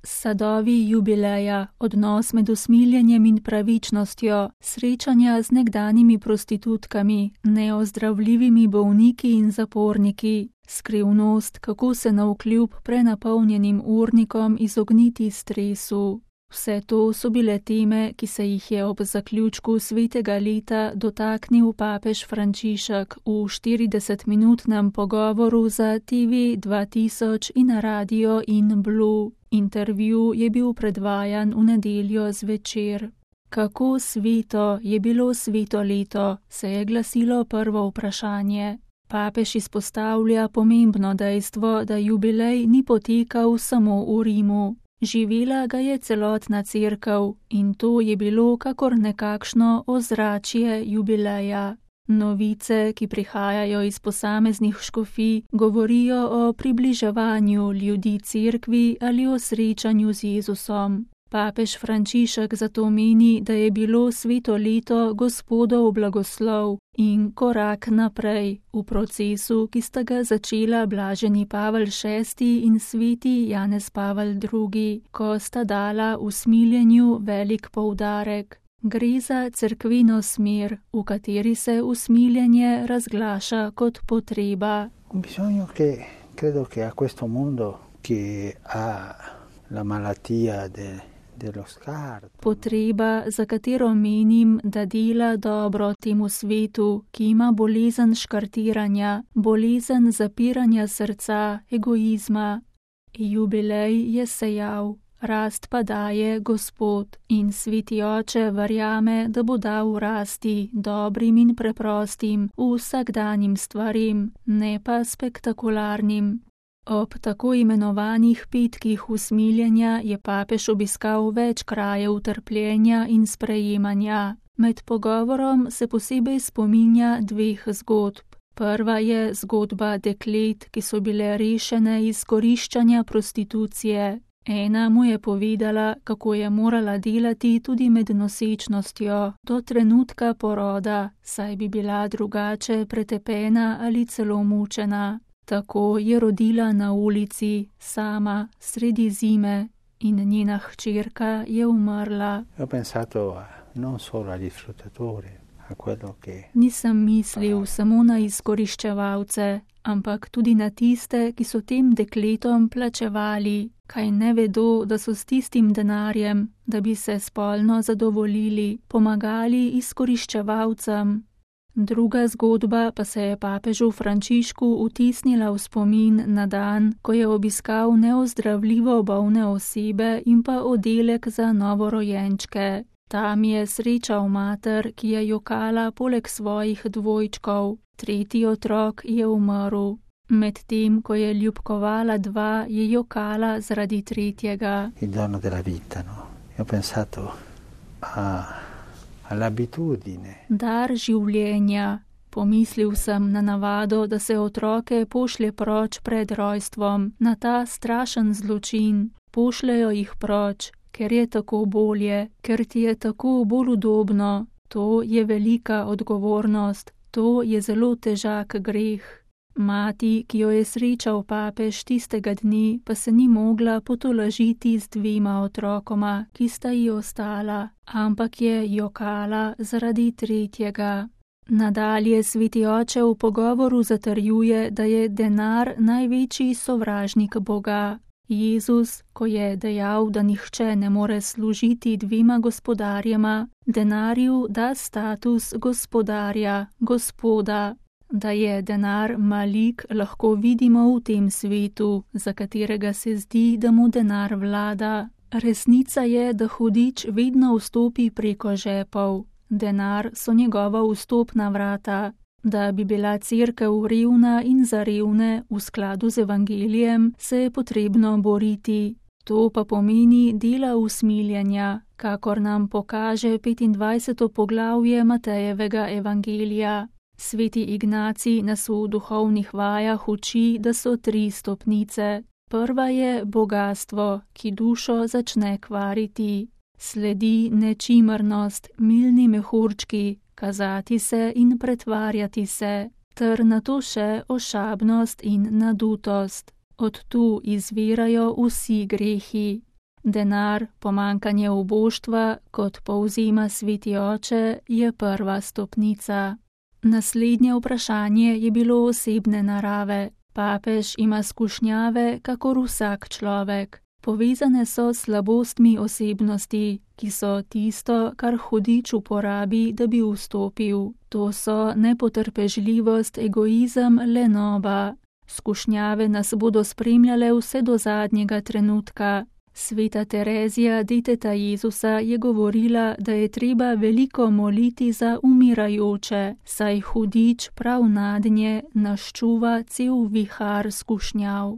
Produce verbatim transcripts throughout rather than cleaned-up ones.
Sadovi jubileja, odnos med usmiljenjem in pravičnostjo, srečanja z nekdanjimi prostitutkami, neozdravljivimi bolniki in zaporniki, skrivnost, kako se navkljub prenapolnjenim urnikom izogniti stresu. Vse to so bile teme, ki se jih je ob zaključku svetega leta dotaknil papež Frančišek v štiridesetminutnem pogovoru za T V dva tisoč in Radio in Blue. Intervju je bil predvajan v nedeljo zvečer. Kako sveto je bilo sveto leto, se je glasilo prvo vprašanje. Papež izpostavlja pomembno dejstvo, da jubilej ni potekal samo v Rimu. Živela ga je celotna cerkev in to je bilo kakor nekakšno ozračje jubileja. Novice, ki prihajajo iz posameznih škofij, govorijo o približevanju ljudi cerkvi ali o srečanju z Jezusom. Papež Frančišek zato meni, da je bilo sveto leto Gospodov blagoslov in korak naprej v procesu, ki sta ga začela blaženi Pavel šesti in sveti Janez Pavel drugi, ko sta dala usmiljenju velik poudarek. Gre za cerkveno smer, v kateri se usmiljenje razglaša kot potreba. Un bisogno che credo che a questo mondo che ha la malattia de Potreba, za katero menim, da dela dobro temu svetu, ki ima bolezen škartiranja, bolezen zapiranja srca, egoizma. Jubilej je sejal, rast pa daje Gospod in sveti oče verjame, da bo dal rasti dobrim in preprostim, vsakdanjim stvarim, ne pa spektakularnim. Ob tako imenovanih petkih usmiljenja je papež obiskal več krajev trpljenja in sprejemanja. Med pogovorom se posebej spominja dveh zgodb. Prva je zgodba deklet, ki so bile rešene izkoriščanja prostitucije. Ena mu je povedala, kako je morala delati tudi med nosečnostjo do trenutka poroda, saj bi bila drugače pretepena ali celo mučena. Tako je rodila na ulici, sama, sredi zime, in njena hčerka je umrla. Nisem mislil samo na izkoriščevalce, ampak tudi na tiste, ki so tem dekletom plačevali, kaj ne vedo, da so s tistim denarjem, da bi se spolno zadovoljili, pomagali izkoriščevalcem. Druga zgodba pa se je papežu Frančišku vtisnila v spomin na dan, ko je obiskal neozdravljivo bolne osebe in pa oddelek za novorojenčke. Tam je srečal mater, ki je jokala poleg svojih dvojčkov. Tretji otrok je umrl. Medtem, ko je ljubkovala dva, je jokala zaradi tretjega. Il dono della vita, no? Io ho pensato a Dar življenja. Pomislil sem na navado, da se otroke pošlje proč pred rojstvom, na ta strašen zločin. Pošljejo jih proč, ker je tako bolje, ker ti je tako bolj udobno. To je velika odgovornost, to je zelo težak greh. Mati, ki jo je srečal papež tistega dne, pa se ni mogla potolažiti z dvema otrokoma, ki sta ji ostala, ampak je jokala zaradi tretjega. Nadalje sveti oče v pogovoru zatrjuje, da je denar največji sovražnik Boga. Jezus, ko je dejal, da nihče ne more služiti dvema gospodarjema, denarju da status gospodarja, gospoda. Da je denar malik, lahko vidimo v tem svetu, za katerega se zdi, da mu denar vlada. Resnica je, da hudič vedno vstopi preko žepov. Denar so njegova vstopna vrata. Da bi bila cerkev revna in za revne v skladu z evangelijem, se je potrebno boriti. To pa pomeni dela usmiljenja, kakor nam pokaže petindvajseto poglavje Matejevega evangelija. Sveti Ignacij nas v duhovnih vajah uči, da so tri stopnice. Prva je bogastvo, ki dušo začne kvariti. Sledi nečimrnost, milni mehurčki, kazati se in pretvarjati se, ter nato še ošabnost in nadutost. Od tu izvirajo vsi grehi. Denar, pomankanje oboštva, kot povzema Sveti Oče, je prva stopnica. Naslednje vprašanje je bilo osebne narave. Papež ima skušnjave, kakor vsak človek. Povezane so s slabostmi osebnosti, ki so tisto, kar hudič uporabi, da bi vstopil. To so nepotrpežljivost, egoizem, lenoba. Skušnjave nas bodo spremljale vse do zadnjega trenutka. Sveta Terezija, deteta Jezusa, je govorila, da je treba veliko moliti za umirajoče, saj hudič prav nadnje naščuva cel vihar skušnjav.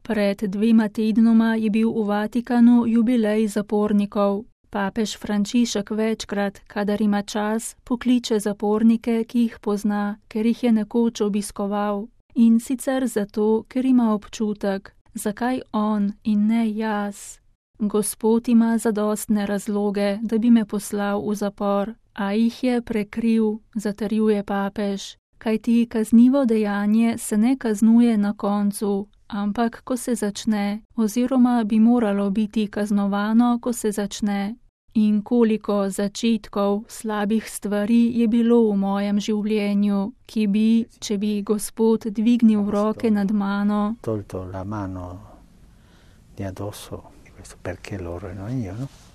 Pred dvema tednoma je bil v Vatikanu jubilej zapornikov. Papež Frančišek večkrat, kadar ima čas, pokliče zapornike, ki jih pozna, ker jih je nekoč obiskoval. In sicer zato, ker ima občutek, zakaj on in ne jaz. Gospod ima zadostne razloge, da bi me poslal v zapor, a jih je prekril, zatrjuje papež, kajti kaznivo dejanje se ne kaznuje na koncu, ampak ko se začne, oziroma bi moralo biti kaznovano, ko se začne. In koliko začetkov slabih stvari je bilo v mojem življenju, ki bi, če bi Gospod dvignil roke nad mano,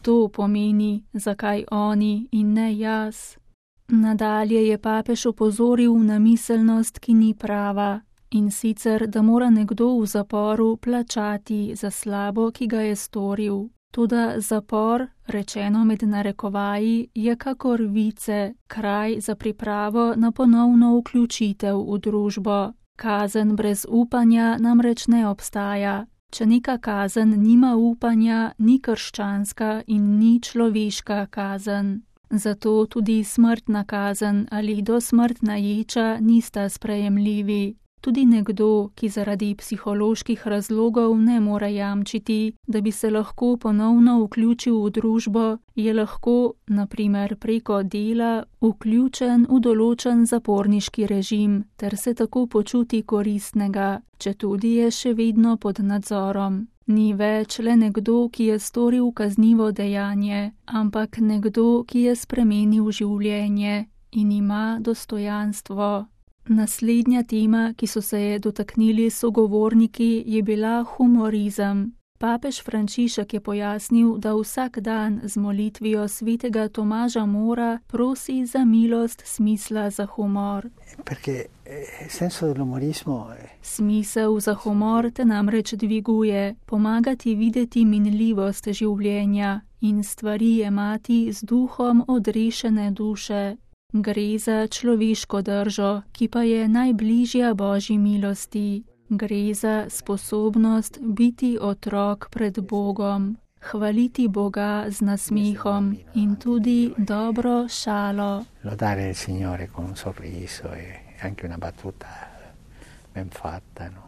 to pomeni, zakaj oni in ne jaz. Nadalje je papež opozoril na miselnost, ki ni prava, in sicer, da mora nekdo v zaporu plačati za slabo, ki ga je storil. Toda zapor, rečeno med narekovaji, je kakor vice, kraj za pripravo na ponovno vključitev v družbo. Kazen brez upanja namreč ne obstaja. Če neka kazen nima upanja, ni krščanska in ni človeška kazen. Zato tudi smrtna kazen ali dosmrtna ječa nista sprejemljivi. Tudi nekdo, ki zaradi psiholoških razlogov ne more jamčiti, da bi se lahko ponovno vključil v družbo, je lahko, na primer preko dela, vključen v določen zaporniški režim, ter se tako počuti koristnega, četudi je še vedno pod nadzorom. Ni več le nekdo, ki je storil kaznivo dejanje, ampak nekdo, ki je spremenil življenje in ima dostojanstvo. Naslednja tema, ki so se je dotaknili sogovorniki, je bila humorizem. Papež Frančišek je pojasnil, da vsak dan z molitvijo svetega Tomaža Mora prosi za milost smisla za humor. Smisel za humor te namreč dviguje, pomagati videti minljivost življenja in stvari jemati z duhom odrešene duše. Gre za človeško držo, ki pa je najbližja Božji milosti. Gre za sposobnost biti otrok pred Bogom, hvaliti Boga z nasmehom in tudi dobro šalo. Lodare il Signore con un sorriso e anche una battuta ben fatta, no?